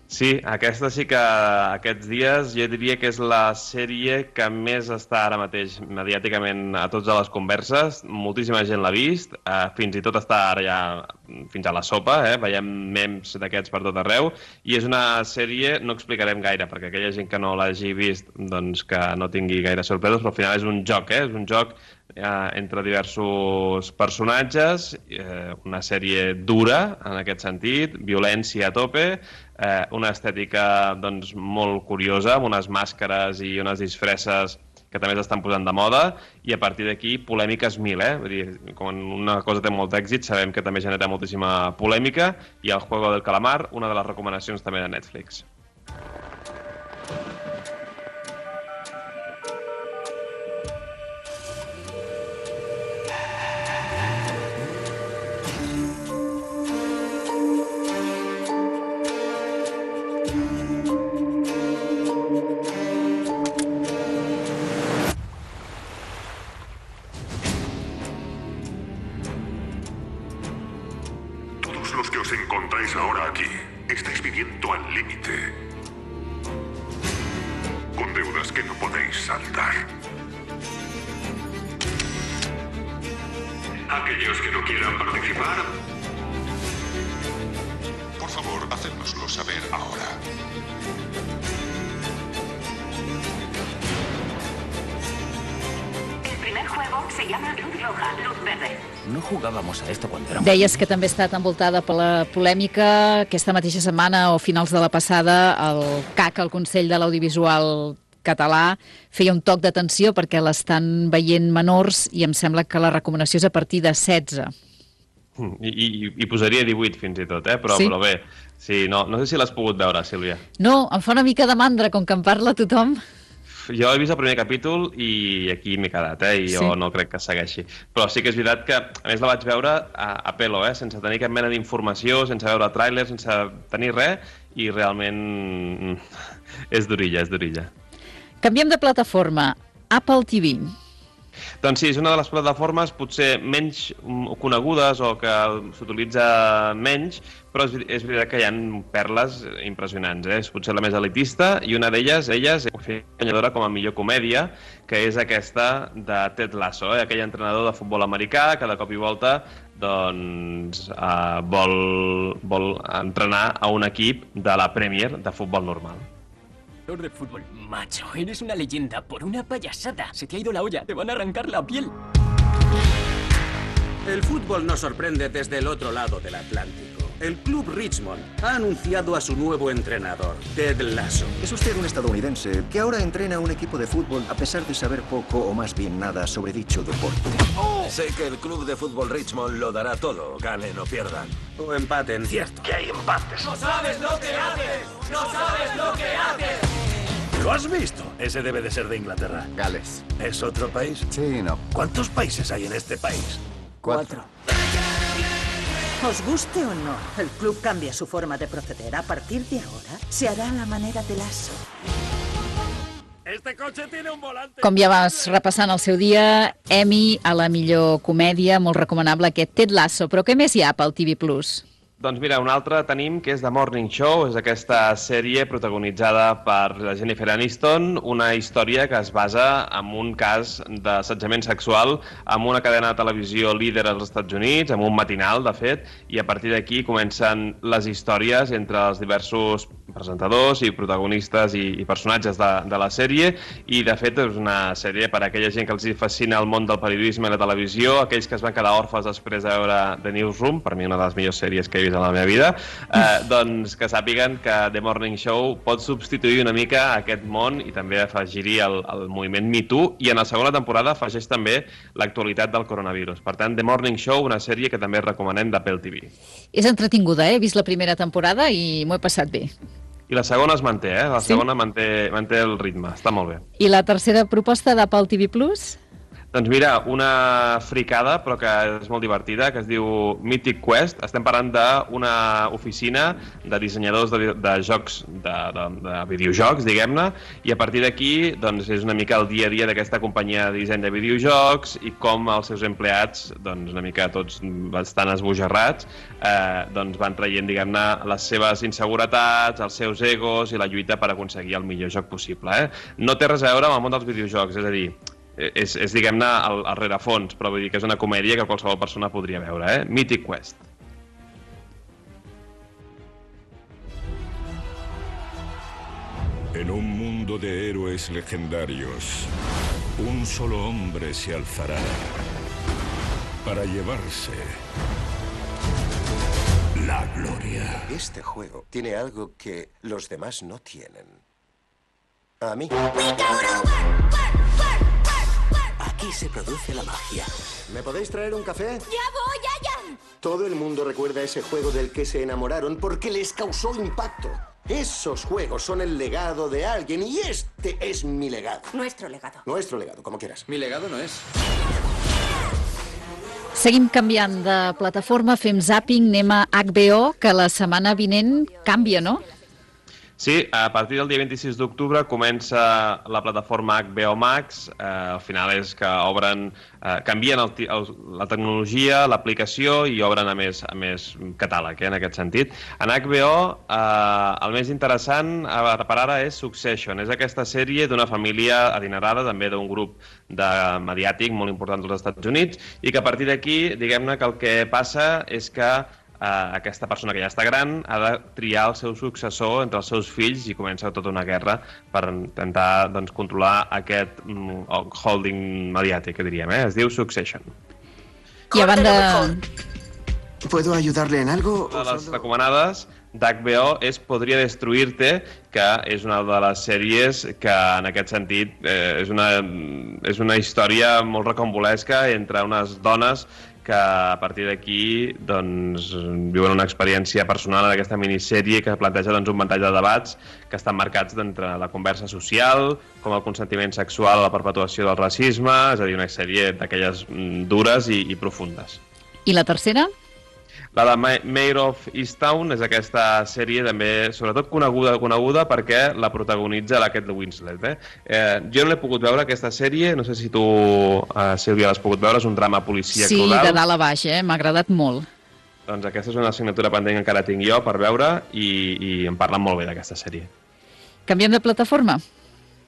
Sí, aquesta sí que aquests dies jo diria que és la sèrie que més està ara mateix mediàticament a tots a les converses. Moltíssima gent l'ha vist, fins i tot està ara ja fins a la sopa, veiem memes d'aquests per tot arreu, i és una sèrie, no explicarem gaire, perquè aquella gent que no l'hagi vist doncs que no tingui gaire sorpreses, però al final és un joc, és un joc entre diversos personatges, una sèrie dura en aquest sentit, violència a tope, una estètica doncs, molt curiosa, amb unes màscares i unes disfresses que també s'estan posant de moda, i a partir d'aquí polèmiques mil, Vull dir, quan una cosa té molt èxit, sabem que també genera moltíssima polèmica, i El Juego del Calamar, una de les recomanacions també de Netflix. Los que os encontráis ahora aquí, estáis viviendo al límite, con deudas que no podéis saldar. Aquellos que no quieran participar, por favor, hacednoslo saber ahora. El primer juego se llama Luz Roja, Luz Verde. No jugábamos a esto cuando éramos... Deies que també ha estat envoltada per la polèmica. Aquesta mateixa setmana, o finals de la passada, el CAC, el Consell de l'Audiovisual Català, feia un toc d'atenció perquè l'estan veient menors i em sembla que la recomanació és a partir de 16. I posaria 18 fins i tot, però bé. Sí, no sé si l'has pogut veure, Sílvia. No, em fa una mica de mandra, com que en parla tothom. Jo he vist el primer capítol i aquí m'he quedat, i jo no crec que segueixi. Però sí que és veritat que, a més, la vaig veure a pelo, sense tenir cap mena d'informació, sense veure tràilers, sense tenir res, i realment és durilla, és durilla. Canviem de plataforma. Apple TV. Doncs sí, és una de les plataformes potser menys conegudes o que s'utilitza menys, però és veritat que hi ha perles impressionants. És potser la més elitista i una d'elles, és guanyadora com a millor comèdia, que és aquesta de Ted Lasso, aquell entrenador de futbol americà que de cop i volta vol entrenar a un equip de la Premier de futbol normal. De fútbol, macho, eres una leyenda por una payasada. Se te ha ido la olla, te van a arrancar la piel. El fútbol nos sorprende desde el otro lado del Atlántico. El club Richmond ha anunciado a su nuevo entrenador, Ted Lasso. Es usted un estadounidense que ahora entrena a un equipo de fútbol a pesar de saber poco o más bien nada sobre dicho deporte. Sé que el club de fútbol Richmond lo dará todo, ganen o pierdan. O empaten. Cierto. Que hay empates. ¡No sabes lo que haces! ¡No sabes lo que haces! ¿Lo has visto? Ese debe de ser de Inglaterra. Gales. ¿Es otro país? Sí, no. ¿Cuántos países hay en este país? 4. Os guste o no, el club cambia su forma de proceder. A partir de ahora, se hará a la manera de Lasso. Este coche tiene un volante. Com ja vas repassant el seu dia, Emmy a la millor comèdia, molt recomanable aquest Ted Lasso. Però què més hi ha pel TV+. Doncs mira, un altre tenim que és The Morning Show, és aquesta sèrie protagonitzada per la Jennifer Aniston, una història que es basa en un cas d'assetjament sexual amb una cadena de televisió líder als Estats Units, amb un matinal, de fet, i a partir d'aquí comencen les històries entre els diversos presentadors i protagonistes i personatges de la sèrie, i de fet és una sèrie per a aquella gent que els fascina el món del periodisme i la televisió, aquells que es van quedar orfes després de veure The Newsroom, per mi una de les millors sèries que he vist a la meva vida, doncs que sàpiguen que The Morning Show pot substituir una mica aquest món i també afegir-hi el moviment Me Too, i en la segona temporada afegeix també l'actualitat del coronavirus. Per tant, The Morning Show, una sèrie que també recomanem d'Apple TV. És entretinguda, he vist la primera temporada i m'ho he passat bé. I la segona es manté, la segona manté el ritme, està molt bé. I la tercera proposta d'Apple TV+? Doncs mira, una fricada, però que és molt divertida, que es diu Mythic Quest. Estem parlant d'una oficina de dissenyadors de jocs, de videojocs, diguem-ne, i a partir d'aquí doncs, és una mica el dia a dia d'aquesta companyia de disseny de videojocs i com els seus empleats, doncs, una mica tots bastant esbojarrats, doncs van traient, diguem-ne, les seves inseguretats, els seus egos i la lluita per aconseguir el millor joc possible. No té res a veure amb el món dels videojocs, és a dir, és diguem-ne, el rerefons, però vull dir que és una comèdia que qualsevol persona podria veure, Mythic Quest. En un mundo de héroes legendarios, un solo hombre se alzará para llevarse la gloria. Este juego tiene algo que los demás no tienen. A mí. Aquí se produce la magia. ¿Me podéis traer un café? ¡Ya voy, ya! Todo el mundo recuerda ese juego del que se enamoraron porque les causó impacto. Esos juegos son el legado de alguien y este es mi legado. Nuestro legado. Nuestro legado, como quieras. Mi legado no és. Seguim canviant de plataforma, fem zàping, anem a HBO, que la setmana vinent canvia, no? Sí, a partir del dia 26 d'octubre comença la plataforma HBO Max. Al final és que canvien la tecnologia, l'aplicació i obren a més catàleg, en aquest sentit. En HBO, el més interessant per ara és Succession. És aquesta sèrie d'una família adinerada, també d'un grup mediàtic molt important dels Estats Units, i que a partir d'aquí, diguem-ne que el que passa és que aquesta persona que ja està gran ha de triar el seu successor entre els seus fills i comença tota una guerra per intentar controlar aquest holding mediàtic, que diríem, es diu Succession. I a banda... ¿Puedo ayudarle en algo? Una de les recomanades d'HBO és Podria destruir-te, que és una de les sèries que, en aquest sentit, és una història molt recambolesca entre unes dones que a partir d'aquí viuen una experiència personal en aquesta minissèrie que planteja un ventall de debats que estan marcats entre la conversa social, com el consentiment sexual, la perpetuació del racisme, és a dir, una sèrie d'aquelles dures i profundes. I la tercera? La de Mayor of Easttown és aquesta sèrie també, sobretot coneguda perquè la protagonitza la Kate Winslet. Jo no l'he pogut veure, aquesta sèrie, no sé si tu, Sílvia, l'has pogut veure, és un drama policíac rural. Sí, de dalt a baix, m'ha agradat molt. Doncs aquesta és una assignatura pendent que encara tinc jo per veure i em parlen molt bé d'aquesta sèrie. Canviem de plataforma?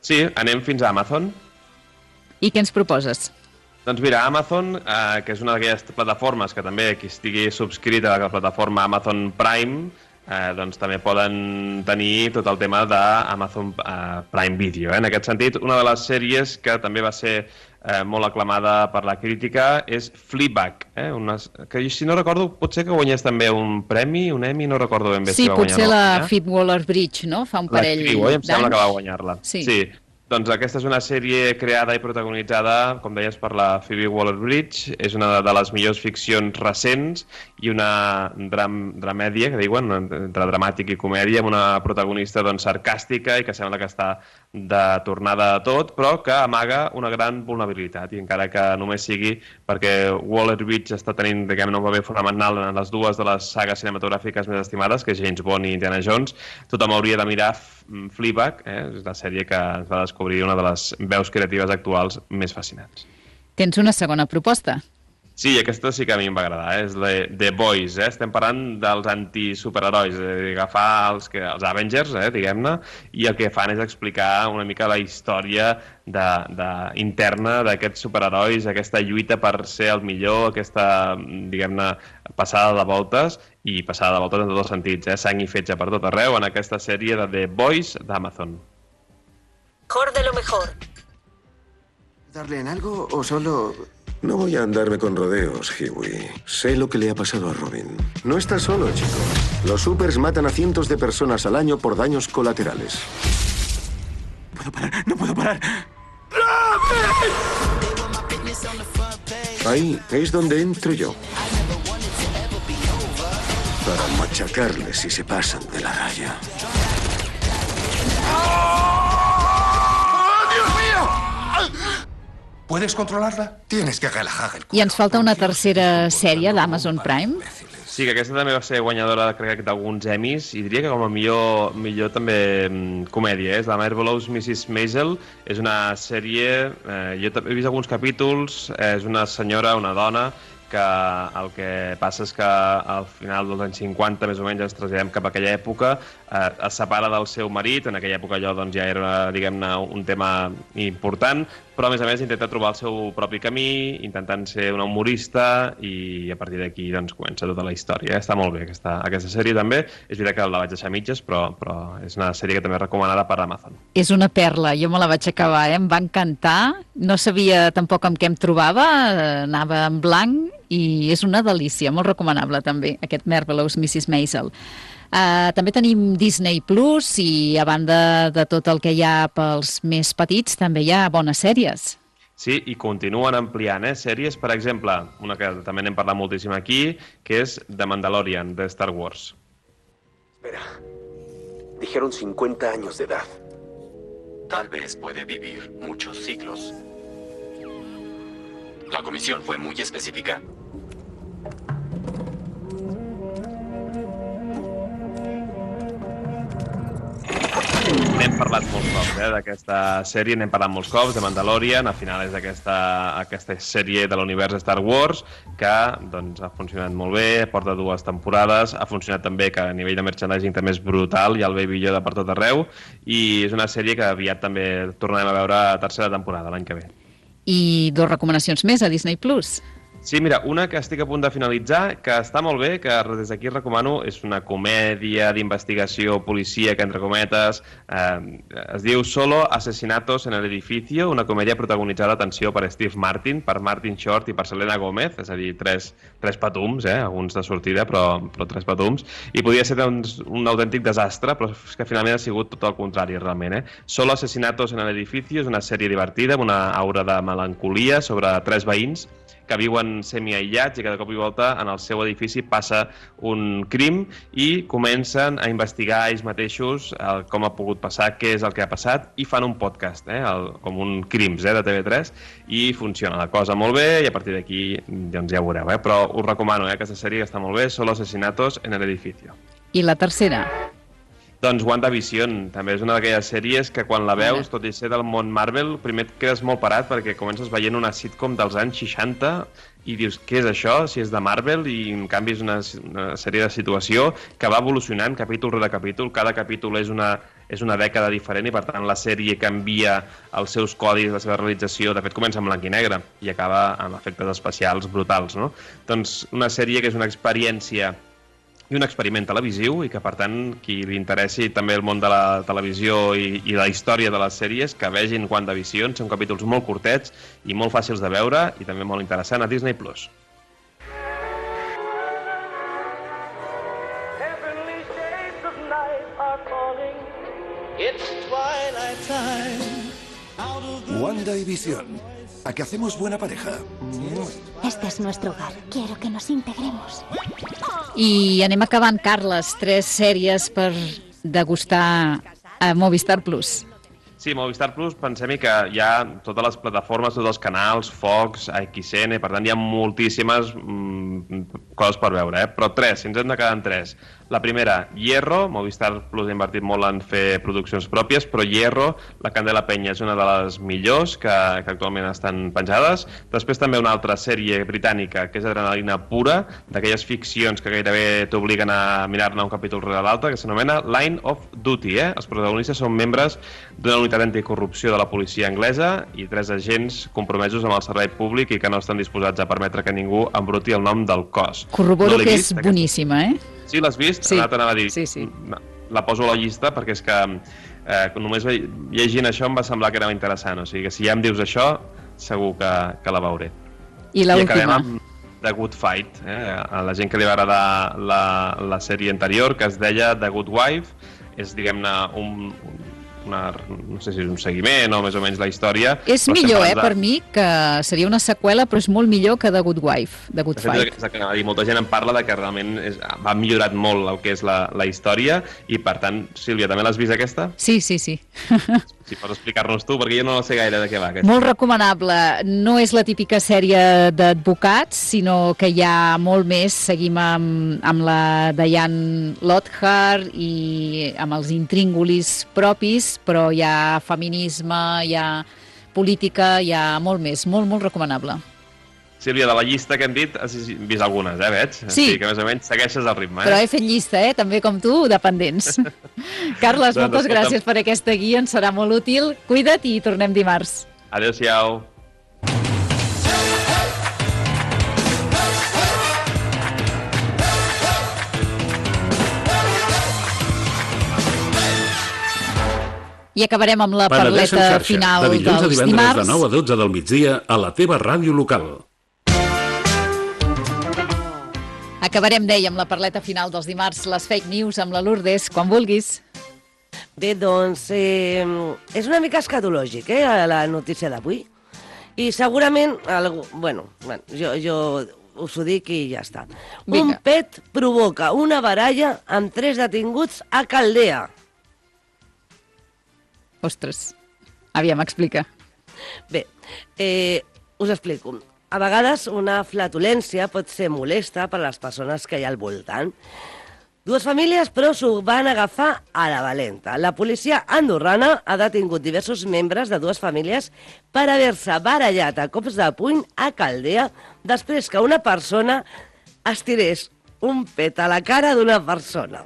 Sí, anem fins a Amazon. I què ens proposes? Doncs mira, Amazon, que és una d'aquelles plataformes que també qui estigui subscrita a la plataforma Amazon Prime, doncs també poden tenir tot el tema d'Amazon Prime Video. En aquest sentit, una de les sèries que també va ser molt aclamada per la crítica és Fleabag, que si no recordo potser que guanyés també un premi, un Emmy, no recordo ben bé si va guanyar. Sí, potser la Phoebe Waller-Bridge, no? Fa un parell d'anys. Em sembla que va guanyar-la. Sí. Doncs aquesta és una sèrie creada i protagonitzada, com deies, per la Phoebe Waller-Bridge. És una de les millors ficcions recents i una dramèdia, que diuen, entre dramàtic i comèdia, amb una protagonista sarcàstica i que sembla que està de tornada a tot, però que amaga una gran vulnerabilitat. I encara que només sigui perquè Waller-Bridge està tenint, diguem-ne, un paper fonamental en les dues de les sagues cinematogràfiques més estimades, que és James Bond i Indiana Jones, tothom hauria de mirar Fleabag, és la sèrie que ens va descobrir una de les veus creatives actuals més fascinants. Tens una segona proposta? Sí, aquesta sí que a mi em va agradar, és The Boys. Estem parlant dels antisuperherois, agafar els Avengers, diguem-ne, i el que fan és explicar una mica la història interna d'aquests superherois, aquesta lluita per ser el millor, aquesta, diguem-ne, passada de voltes, i passada de voltes en tots els sentits, sang i fetge per tot arreu, en aquesta sèrie de The Boys d'Amazon. Mejor de lo mejor. ¿Darle en algo o solo...? No voy a andarme con rodeos, Huey. Sé lo que le ha pasado a Robin. No estás solo, chico. Los supers matan a cientos de personas al año por daños colaterales. No puedo parar. Ahí es donde entro yo. Para machacarles si se pasan de la raya. ¿Puedes controlarla? Tienes que relajar el cuerpo. I ens falta una tercera sèrie d'Amazon Prime. Sí, que aquesta també va ser guanyadora, crec, d'alguns Emmys, i diria que com a millor també comèdia. És la Marvelous Mrs. Maisel. És una sèrie... Jo he vist alguns capítols. És una senyora, una dona, que el que passa és que al final dels anys 50, més o menys, ens traslladem cap a aquella època, es separa del seu marit, en aquella època allò ja era, diguem-ne, un tema important, però a més intenta trobar el seu propi camí, intentant ser una humorista, i a partir d'aquí comença tota la història. Està molt bé aquesta sèrie també. És veritat que la vaig deixar a mitges, però és una sèrie que també és recomanada per Amazon. És una perla, jo me la vaig acabar, em va encantar, no sabia tampoc amb què em trobava, anava en blanc, i és una delícia, molt recomanable també, aquest Marvelous Mrs. Maisel. També tenim Disney Plus i a banda de tot el que hi ha pels més petits també hi ha bones sèries. Sí, i continuen ampliant sèries, per exemple, una que també n'hem parlat moltíssim aquí, que és The Mandalorian, de Star Wars. Espera, dijeron 50 años de edad. Tal vez puede vivir muchos siglos. La comisión fue muy específica. parlat molts cops, d'aquesta sèrie, n'hem parlat molts cops, de Mandalorian, al final és aquesta sèrie de l'univers Star Wars, que doncs, ha funcionat molt bé, porta 2 temporades, ha funcionat també que a nivell de merchandising també és brutal, hi ha el Baby Yoda per tot arreu, i és una sèrie que aviat també tornarem a veure a tercera temporada, l'any que ve. I 2 recomanacions més a Disney+. Sí, mira, una que estic a punt de finalitzar, que està molt bé, que des d'aquí recomano, és una comèdia d'investigació policíaca, entre cometes, es diu Solo Asesinatos en el Edificio, una comèdia protagonitzada, atenció, per Steve Martin, per Martin Short i per Selena Gomez, és a dir, tres patums, alguns de sortida, però 3 patums, i podia ser doncs, un autèntic desastre, però és que finalment ha sigut tot el contrari, realment. Solo Asesinatos en el Edificio és una sèrie divertida, amb una aura de melancolia sobre 3 veïns que viuen semi-aïllats i cada cop i volta en el seu edifici passa un crim i comencen a investigar ells mateixos com ha pogut passar, què és el que ha passat, i fan un podcast, com un Crims de TV3, i funciona la cosa molt bé i a partir d'aquí doncs ja ho veureu. Però us recomano aquesta sèrie que està molt bé, Solo Asesinatos en el Edificio. I la tercera? Doncs WandaVision, també és una d'aquelles sèries que quan la veus, tot i ser del món Marvel, primer et quedes molt parat perquè comences veient una sitcom dels anys 60 i dius, què és això? Si és de Marvel, i en canvi és una sèrie de situació que va evolucionant capítol rere capítol, cada capítol és una dècada diferent i per tant la sèrie canvia els seus codis, la seva realització, de fet comença en blanc i negre i acaba amb efectes especials brutals, no? Doncs una sèrie que és una experiència i un experiment televisiu i que, per tant, qui li interessi també el món de la televisió i la història de les sèries, que vegin WandaVision, són capítols molt curtets i molt fàcils de veure i també molt interessant a Disney+. WandaVision. ¿A qué hacemos buena pareja? Este es nuestro hogar. Quiero que nos integremos. I anem acabant, Carles, 3 sèries per degustar a Movistar Plus. Sí, Movistar Plus, pensem que hi ha totes les plataformes, tots els canals, Fox, AXN, per tant hi ha moltíssimes coses per veure, però 3, si ens hem de quedar en 3. La primera, Hierro, Movistar Plus ha invertit molt en fer produccions pròpies, però Hierro, la Candela Peña, és una de les millors que actualment estan penjades. Després també una altra sèrie britànica, que és Adrenalina Pura, d'aquelles ficcions que gairebé t'obliguen a mirar-ne un capítol rere l'altre, que s'anomena Line of Duty. Els protagonistes són membres d'una unitat anticorrupció de la policia anglesa i 3 agents compromesos amb el servei públic i que no estan disposats a permetre que ningú embruti el nom del cos. Corroboro que és boníssima, Sí, l'has vist? Sí. Anava a dir. Sí. La poso a la llista perquè és que només llegint això em va semblar que era interessant. O sigui que si ja em dius això, segur que la veuré. I l'última? I acabem amb The Good Fight. A la gent que li va agradar la sèrie anterior, que es deia The Good Wife, és, diguem-ne, no sé si és un seguiment o més o menys la història. És millor, per mi, que seria una seqüela, però és molt millor que The Good Wife, The Good Fight. I molta gent en parla de que realment va millorat molt el que és la història i, per tant, Sílvia, també l'has vist aquesta? Sí. Si pots explicar-nos tu, perquè jo no sé gaire de què va aquesta. Molt recomanable. No és la típica sèrie d'advocats, sinó que hi ha molt més. Seguim amb la Diane Lockhart i amb els intríngulis propis, però hi ha feminisme, hi ha política, hi ha molt més. Molt recomanable. Sílvia, de la llista que hem dit, has vist algunes, veig? Sí. Que més o menys segueixes el ritme, Però he fet llista, també com tu, de pendents. Carles, moltes gràcies per aquesta guia, ens serà molt útil. Cuida't i tornem dimarts. Adéu-siau. I acabarem amb la parleta final dels dimarts. De dilluns a divendres de 9 a 12 del migdia a la teva ràdio local. Acabarem, dèiem, la parleta final dels dimarts, les fake news amb la Lourdes, quan vulguis. Bé, doncs, és una mica escatològic, la notícia d'avui. I segurament, jo us ho dic i ja està. Un pet provoca una baralla amb 3 detinguts a Caldea. Ostres, aviam, explica. Bé, us explico. A vegades una flatulència pot ser molesta per a les persones que hi ha al voltant. Dues famílies, però, s'ho van agafar a la valenta. La policia andorrana ha detingut diversos membres de dues famílies per haver-se barallat a cops de puny a Caldea després que una persona estirés un pet a la cara d'una persona.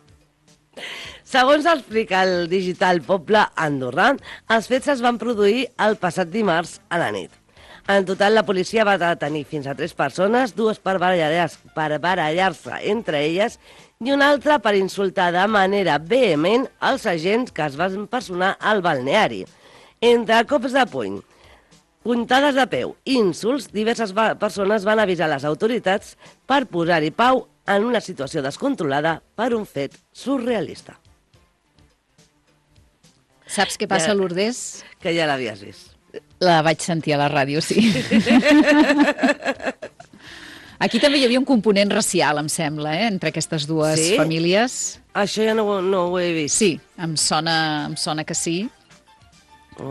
Segons explica el digital Poble Andorrà, els fets es van produir el passat dimarts a la nit. En total, la policia va detenir fins a 3 persones, 2 per barallar-se entre elles i una altra per insultar de manera vehement els agents que es van personar al balneari. Entre cops de puny, puntades de peu i insults, diverses persones van avisar les autoritats per posar-hi pau en una situació descontrolada per un fet surrealista. Saps què passa, Lourdes? Que ja l'havies vist. La vaig sentir a la ràdio, sí. Aquí també hi havia un component racial, em sembla, entre aquestes dues famílies. Això ja no ho he vist. Sí, em sona que sí.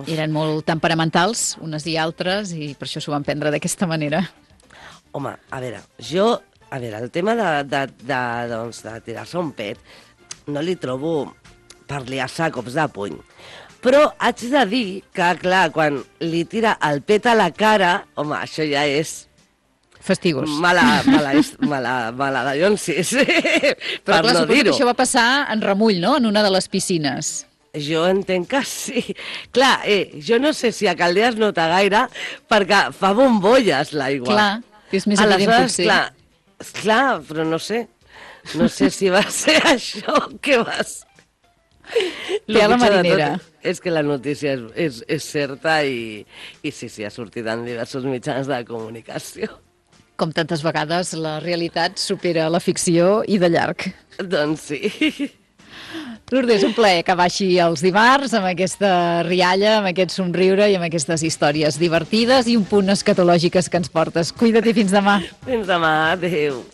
Eren molt temperamentals, unes i altres, i per això s'ho van prendre d'aquesta manera. Home, a veure, el tema de tirar-se un pet no li trobo per liar-se a cops de puny. Però haig de dir que, clar, quan li tira el pet a la cara, home, això ja és... Fastigós. Mala de Llonsis, per no dir-ho. Però clar, suposo que això va passar en remull, no?, en una de les piscines. Jo entenc que sí. Clar, jo no sé si a Caldea es nota gaire, perquè fa bombolles l'aigua. Clar, és més evident potser. Clar, però no sé. No sé si va ser això que vas... Té a la marinera. És que la notícia és certa i sí, ha sortit en diversos mitjans de comunicació. Com tantes vegades, la realitat supera la ficció i de llarg. Doncs sí. Lourdes, un plaer que baixi els dimarts amb aquesta rialla, amb aquest somriure i amb aquestes històries divertides i un punt escatològiques que ens portes. Cuida't i fins demà. Fins demà, adéu.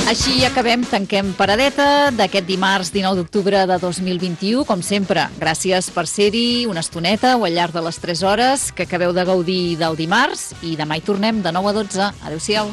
Així acabem, tanquem paradeta d'aquest dimarts 19 d'octubre de 2021. Com sempre, gràcies per ser-hi una estoneta o al llarg de les 3 hores que acabeu de gaudir del dimarts i demà hi tornem de 9 a 12. Adéu-siau.